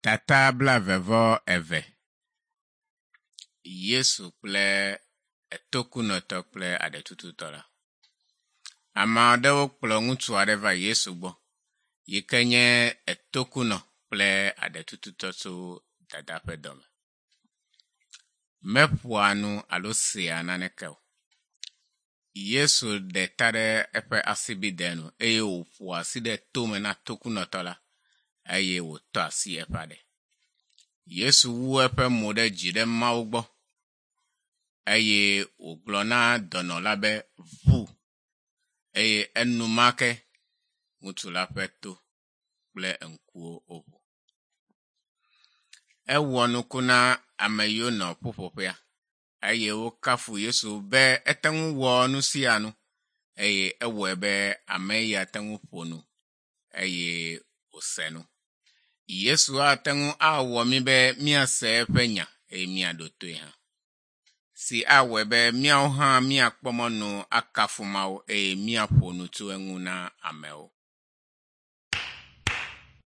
Tata blaeve-vɔ-eve. Yesu kple etokunɔtɔ kple aɖetututɔ la. Ame aɖewo kplɔ ŋutsu aɖe va Yesu gbɔ yi ke nye etokunɔ kple aɖetututɔ tso dada ƒe dɔme. Meƒoa nu alo sea naneke o. Yesu ɖe ta ɖe eƒe asibidɛ nu eye wòƒo asi ɖe tome na tokunɔtɔ la eye wòtɔ asi eƒe aɖe. Yesu wu eƒe mo ɖe dzi ɖe Mawu gbɔ eye wògblɔ na dɔnɔ la be ʋu eye enumake ŋutsu la ƒe to kple ŋkuwo woʋu. Ewɔ nuku na ame yiwo nɔ ƒuƒoƒea eye wokafu Yesu be ete ŋu wɔ nu sia nu eye ewɔe be ame ya te ŋu ƒo nu eye wòse nu. Yesu ate ŋu awɔ mí be míase eƒe nya eye míaɖo toe hã. Si awɔe be míawo hã míakpɔ mɔnu akafu Mawu eye míaƒo nu tso eŋu na amewo.